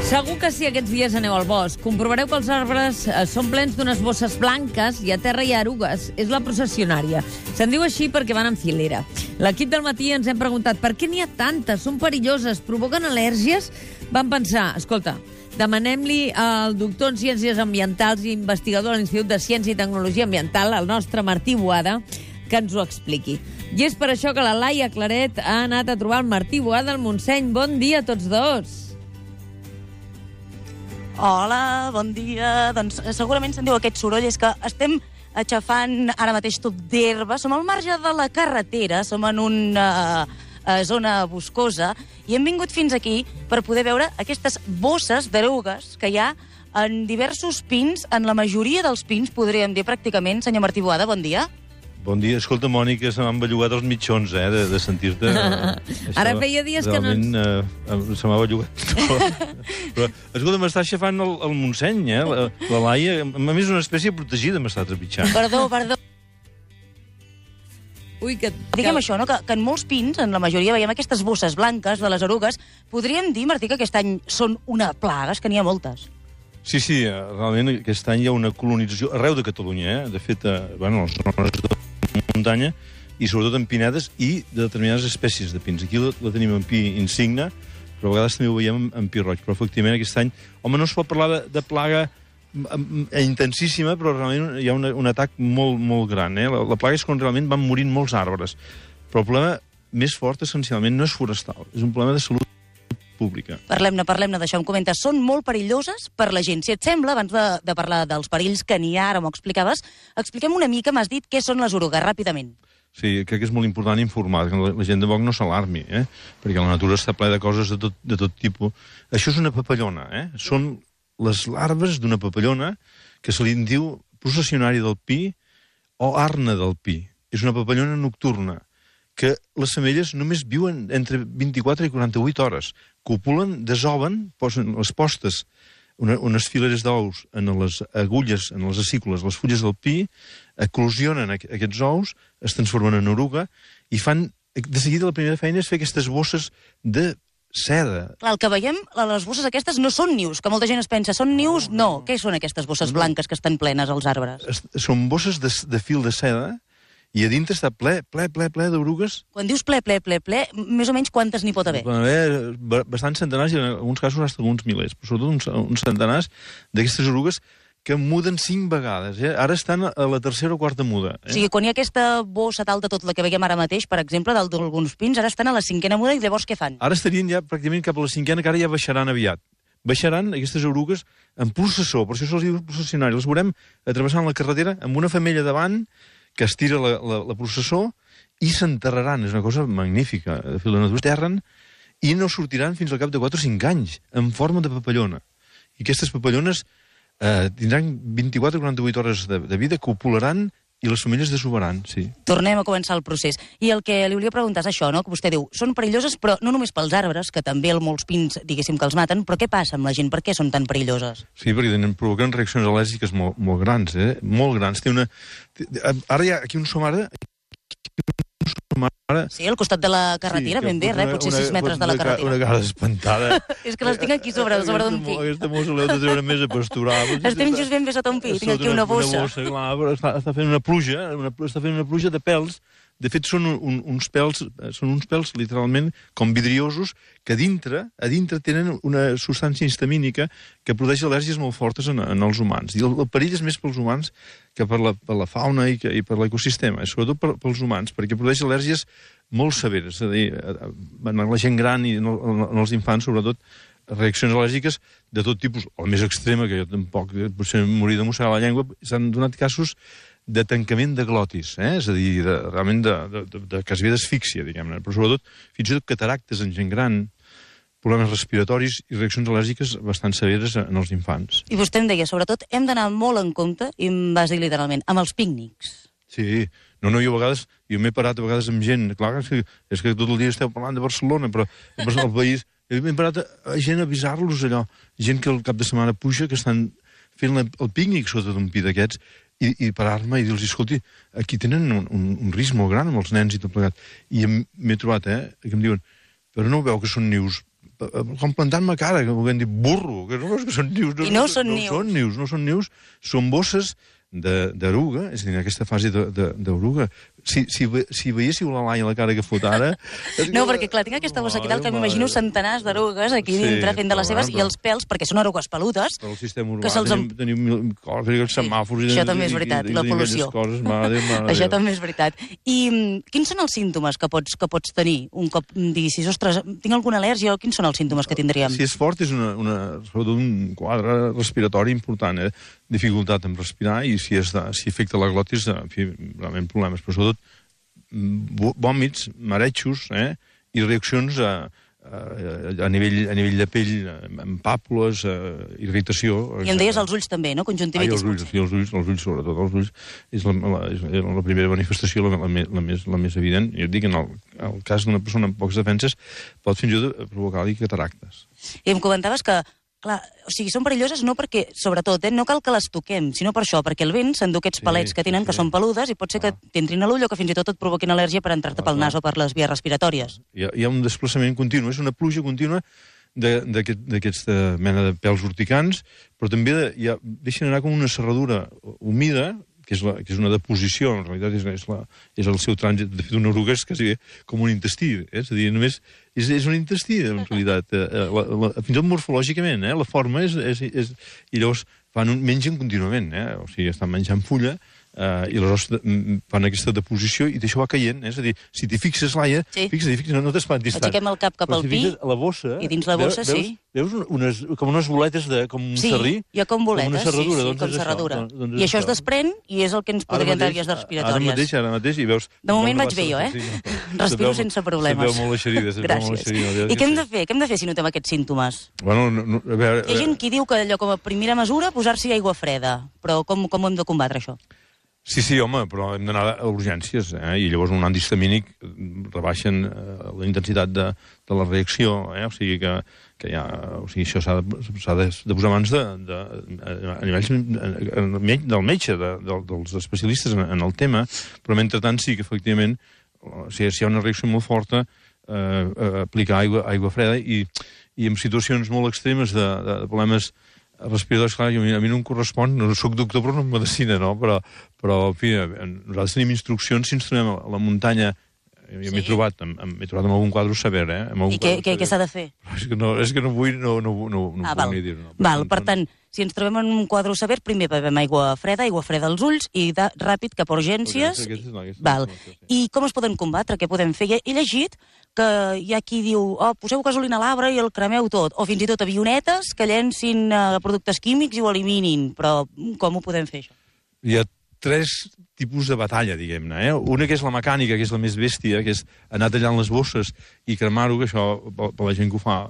Segur que si aquests dies aneu al bosc, comprovareu que els arbres són plens d'unes bosses blanques i a terra hi ha erugues. És la processionària. Se'n diu així perquè van en filera. L'equip del matí ens hem preguntat per què n'hi ha tantes, són perilloses, provoquen al·lèrgies? Vam pensar, escolta, demanem-li al doctor en Ciències Ambientals i investigador a l'Institut de Ciència i Tecnologia Ambiental, el nostre Martí Boada, que ens ho expliqui. I és per això que la Laia Claret ha anat a trobar el Martí Boada al Montseny. Bon dia a tots dos. Hola, bon dia. Doncs segurament se'n diu aquest soroll, és que estem aixafant ara mateix tot d'herba. Som al marge de la carretera, som en una zona boscosa i hem vingut fins aquí per poder veure aquestes bosses d'erugues que hi ha en diversos pins, en la majoria dels pins, podríem dir pràcticament. Senyor Martí Boada, bon dia. Bon dia. Escolta, Mònica, se m'han bellugat els mitjons, de sentir-te. Ara feia dies que no... Se m'ha bellugat. Però, escolta, m'està aixafant el Montseny, la Laia. A més, una espècie protegida m'està trepitjant. Perdó. Ui, que... Diguem això, no? Que en molts pins, en la majoria, veiem aquestes bosses blanques de les erugues. Podríem dir, Martí, que aquest any són una plaga, és que n'hi ha moltes. Sí, realment aquest any hi ha una colonització arreu de Catalunya, De fet, les zones de muntanya i sobretot en pinedes i de determinades espècies de pins. Aquí la tenim en pi insigne, però a vegades també ho veiem en pi roig. Però efectivament aquest any, no es pot parlar de plaga intensíssima, però realment hi ha un atac molt, molt gran. La plaga és quan realment van morint molts arbres. Però el problema més fort, essencialment, no és forestal, és un problema de salut pública. Parlem-ne d'això. Em comentes, són molt perilloses per la gent. Si et sembla, abans de parlar dels perills que n'hi ha, ara m'ho explicaves, expliquem una mica, m'has dit, què són les erugues, ràpidament. Sí, crec que és molt important informar, que la gent de Boc no s'alarmi, perquè la natura està plena de coses de tot tipus. Això és una papallona, Són les larves d'una papallona que se li diu processionària del pi o arna del pi. És una papallona nocturna, que les femelles només viuen entre 24 i 48 hores. Copulen, desoven, posen les postes, unes fileres d'ous en les agulles, en les acícules, les fulles del pi, eclosionen aquests ous, es transformen en oruga, i fan, de seguida, la primera feina és fer aquestes bosses de seda. Clar, el que veiem, les bosses aquestes no són nius, que molta gent es pensa, són nius? No. Què són aquestes bosses blanques que estan plenes als arbres? Són bosses de fil de seda, i a dintre està ple d'orugues. Quan dius ple, més o menys quantes n'hi pot haver? Pot haver bastants centenars i en alguns casos fins uns milers, però sobretot uns centenars d'aquestes orugues que muden 5 vegades. Ara estan a la tercera o quarta muda. O sigui, quan hi ha aquesta bossa tal de tot la que veiem ara mateix, per exemple, d'alguns pins, ara estan a la 5a muda i llavors què fan? Ara estarien ja pràcticament cap a la 5a, que ara ja baixaran aviat. Baixaran aquestes orugues en processó, per això se'ls diu processionari. Les veurem travessant la carretera amb una femella davant que estira la processó i s'enterraran. És una cosa magnífica. De fet, la natura s'enterren i no sortiran fins al cap de 4 o 5 anys, en forma de papallona. I aquestes papallones tindran 24 o 48 hores de vida, copularan i les femelles desovaran, sí. Tornem a començar el procés. I el que li volia preguntar és això, no? Que vostè diu, són perilloses, però no només pels arbres, que també molts pins, diguéssim, que els maten, però què passa amb la gent? Per què són tan perilloses? Sí, perquè provoquen reaccions al·lèrgiques molt grans, molt grans. Ara hi ha aquí un som ara... Sí, al costat de la carretera, ben bé, potser 6 metres de la carretera. Una cara espantada. És que les tinc aquí sobre d'un pi. Aquesta mossa l'heu de treure més a pasturar. Estem just ben bé sota un pi, tinc aquí una bossa. Clar, però està fent una pluja de pèls. De fet, són uns pèls literalment com vidriosos que a dintre tenen una substància histamínica que produeix al·lèrgies molt fortes en els humans. I el perill és més pels humans que per la fauna i per l'ecosistema, sobretot pels humans, perquè produeix al·lèrgies molt severes. És a dir, en la gent gran i en els infants, sobretot, reaccions al·lèrgiques de tot tipus. La més extrema, que jo tampoc potser morir de mossegar la llengua, s'han donat casos de tancament de glotis, és a dir, realment de quasi d'asfíxia, diguem-ne, però sobretot fins i tot cataractes en gent gran, problemes respiratoris i reaccions al·lèrgiques bastant severes en els infants. I vostè em deia, sobretot, hem d'anar molt en compte, i em vas dir literalment, amb els pícnics. Sí, jo m'he parat a vegades amb gent, clar, és que tot el dia esteu parlant de Barcelona, però al país, hem parat a gent a avisar-los allò, gent que el cap de setmana puja, que estan fent el pícnic sota d'un pi d'aquests, i parar-me i dir-los, escolti, aquí tenen un risc molt gran amb els nens i tot plegat. I m'he trobat, que em diuen, però no veu que són nius com plantant-me cara, que volguem dir burro, que no veus que són nius. I no són nius. No són nius, són bosses d'eruga, és a dir, en aquesta fase d'eruga. Si veiéssiu la Laia la cara que fot ara... No, perquè clar, tinc aquesta bossa aquí dalt que m'imagino centenars d'erugues aquí dintre fent de les seves, i els pèls, perquè són erugues peludes, el sistema urbà, tenim mil coses, els semàfors... Això també és veritat, la pol·lució. Això també és veritat. I quins són els símptomes que pots tenir un cop diguis, ostres, tinc alguna al·lèrgia, o quins són els símptomes que tindríem? Si és fort, és sobretot un quadre respiratori important, dificultat en respirar, i si afecta la glotis, en fi, realment problemes, però sobretot vòmits, marejos, i reaccions a nivell de pell, amb pàpules, irritació... I em deies els ulls també, no? Conjuntivitis. Els ulls, sobretot. Els ulls és la primera manifestació, la més evident. Jo et dic, en el cas d'una persona amb poques defenses, pot fins i tot provocar-li cataractes. I em comentaves que, clar, o sigui, són perilloses no perquè, sobretot, no cal que les toquem, sinó per això, perquè el vent s'endú aquests palets que tenen, que són peludes, i pot ser que t'entrin a l'ull o que fins i tot et provoquin al·lèrgia per entrar-te pel nas o per les vies respiratòries. Hi ha un desplaçament continu, és una pluja contínua d'aquesta mena de pèls urticants, però també deixen anar com una serradura humida, que és una deposició, en realitat és el seu trànsit. De fet, una oruga és quasi com un intestí, és a dir, només és un intestí, en realitat, fins i tot morfològicament, la forma és... I llavors mengen contínuament, o sigui, estan menjant fulla, i aleshores fan aquesta deposició i això va caient, és a dir, si t'hi fixes, Laia, no t'espantis tant. Aixequem el cap al pi, i dins la bossa, sí. Veus com unes boletes, com un serrí? Sí, hi ha com boletes, com serradura. I això es desprèn i és el que ens podria entrar vies respiratòries. Ara mateix, i veus... De moment vaig bé jo, Respiro sense problemes. Se veu molt eixerida. Gràcies. I què hem de fer? Què hem de fer si notem aquests símptomes? Bueno, a veure... Hi ha gent que diu que allò com a primera mesura posar-s'hi aigua freda, però com ho hem de combatre, això? Sí, home, però hem d'anar a urgències, i llavors un antihistamínic rebaixen la intensitat de la reacció, o sigui que ja, o sigui, això s'ha de posar mans a nivells del metge, dels especialistes en el tema, però mentrestant sí que efectivament, si hi ha una reacció molt forta, aplicar aigua freda i en situacions molt extremes de problemes respiradors, clar, a mi no em correspon, no soc doctor però no en medicina, no? Però en fi, nosaltres tenim instruccions si ens trobem a la muntanya. Jo m'he trobat amb algun quadre sever, I què s'ha de fer? És que no vull ni dir-ho. Val, per tant, si ens trobem en un quadre sever, primer bevem aigua freda als ulls i ràpid cap a urgències. Val. I com es poden combatre? Què podem fer? He llegit que hi ha qui diu poseu gasolina a l'arbre i el cremeu tot, o fins i tot avionetes que llencin productes químics i ho eliminin, però com ho podem fer, això? Hi ha 3 tipus de batalla, diguem-ne. Una que és la mecànica, que és la més bèstia, que és anar tallant les bosses i cremar-ho, que això, per la gent que ho fa,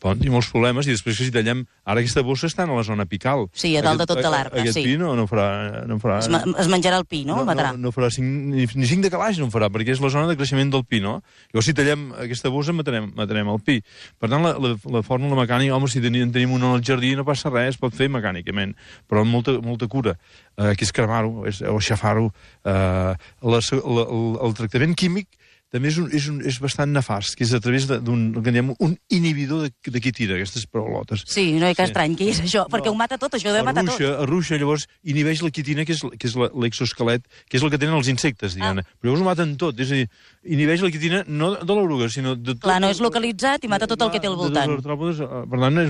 poden tenir molts problemes, i després que si tallem... Ara aquesta bossa està a la zona apical. Sí, a dalt de tot de l'arbre, sí. Aquest pi no farà... Es menjarà el pi, no? El matarà. No farà ni 5 de calaix, no en farà, perquè és la zona de creixement del pi, no? Llavors, si tallem aquesta bossa, matarem el pi. Per tant, la fórmula mecànica, home, si tenim una al jardí, no passa res, es pot fer mecànicament, però amb molta cura, que és cremar-ho, o aixafar-ho. El tractament químic també és bastant nefast, que és a través d'un inhibidor de quitina, aquestes paraulotes. Sí, no hi ha estrany, què és això? Perquè ho mata tot, això ho deu matar tot. Arruixa, llavors inhibeix la quitina, que és l'exoesquelet, que és el que tenen els insectes, diguem-ne. Però llavors ho maten tot, és a dir, inhibeix la quitina no de l'oruga, sinó de tot... Clar, no és localitzat i mata tot el que té al voltant. Per tant,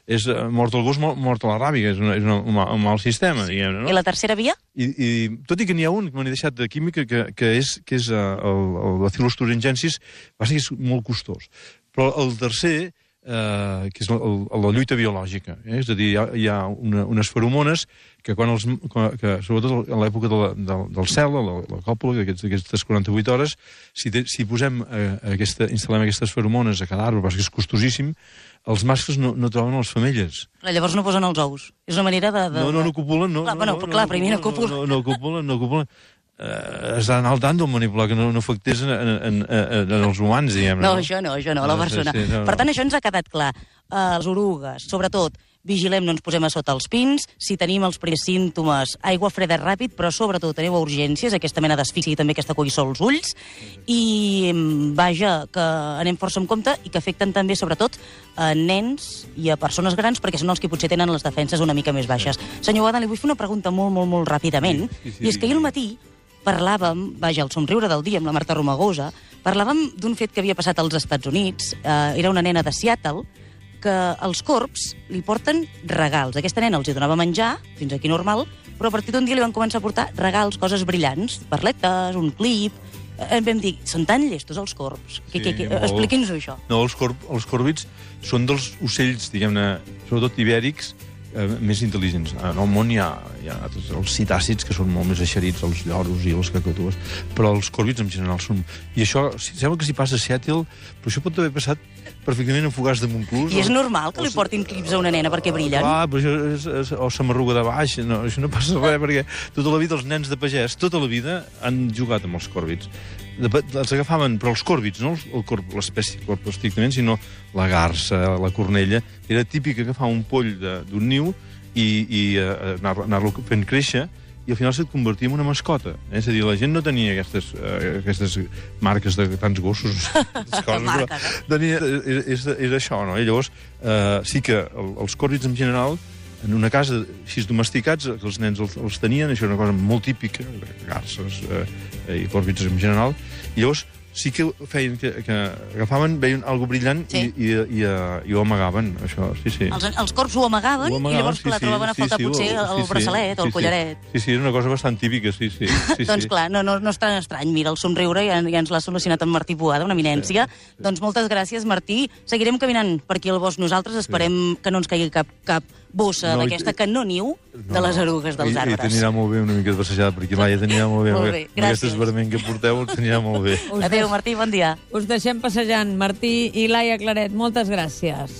és mort el gos, mort a la ràbia, és un mal sistema, diguem-ne. I la tercera via? I tot i que n'hi ha un que m'he deixat de química, que és el Bacillus thuringiensis, va ser molt costós. Però el tercer, que és la lluita biològica, és a dir, hi ha unes feromones que sobretot a l'època del cel, la còpula, d'aquestes 48 hores, si instal·lem aquestes feromones a cada arbre, perquè és costosíssim, els mascles no troben les femelles. Llavors no posen els ous. És una manera de... No copulen, no. Clar, primer no copulen. No copulen. Has d'anar al tant d'un manipular que no afectés en els humans, diguem-ne. No, això no, la persona. Per tant, això ens ha quedat clar. Les orugues, sobretot, vigilem, no ens posem a sota els pins, si tenim els primers símptomes, aigua freda ràpid, però sobretot aneu a urgències, aquesta mena d'asfíxia i també aquesta coïssor als ulls, i vaja, que anem força en compte i que afecten també, sobretot, a nens i a persones grans, perquè són els que potser tenen les defenses una mica més baixes. Senyor Boada, li vull fer una pregunta molt ràpidament, i és que ahir al matí parlàvem, vaja, el somriure del dia amb la Marta Romagosa, parlàvem d'un fet que havia passat als Estats Units, era una nena de Seattle, que els corbs li porten regals. Aquesta nena els hi donava menjar, fins aquí normal, però a partir d'un dia li van començar a portar regals, coses brillants, perletes, un clip. Vam dir, són tan llestos els corbs. Expliqui'ns-ho, això. No, els còrvids són dels ocells, diguem-ne, sobretot ibèrics, més intel·ligents. En el món hi ha els citàcids, que són molt més eixerits, els lloros i les cacatues, però els còrvids en general són... I això, sembla que s'hi passa a Seattle, però això pot haver passat perfectament en Fogars de Montclús. I és normal que li portin clips a una nena perquè brillen? Clar, però això o s'amarruga de baix, no, això no passa res, perquè tota la vida els nens de pagès, tota la vida han jugat amb els còrvids. Els agafaven, però els còrvids, no l'espècie corb estrictament, sinó la garsa, la cornella. Era típic agafar un poll d'un niu i anar-lo fent créixer, i al final se't convertia en una mascota. És a dir, la gent no tenia aquestes marques de tants gossos. Era això, no? I llavors, sí que els còrvids en general, en una casa així domesticats, que els nens els tenien, això era una cosa molt típica, garces i còrvids en general, i llavors sí que feien que agafaven, veien alguna brillant i ho amagaven, això, sí. Els corbs ho amagaven i llavors la trobaven a faltar potser el braçalet o el collaret. Sí, era una cosa bastant típica, sí. Doncs clar, no és tan estrany. Mira, el somriure ja ens l'ha solucionat en Martí Boada, una eminència. Doncs moltes gràcies, Martí. Seguirem caminant per aquí al bosc nosaltres. Esperem que no ens caigui cap bossa d'aquesta que no niu de les erugues dels arbres. I t'anirà molt bé una mica de passejada per aquí, Laia, t'anirà molt bé. Molt bé, gràcies. Amb aquest esverment que porteu t'anirà molt bé. Adéu, Martí, bon dia. Us deixem passejant, Martí i Laia Claret. Moltes gràcies.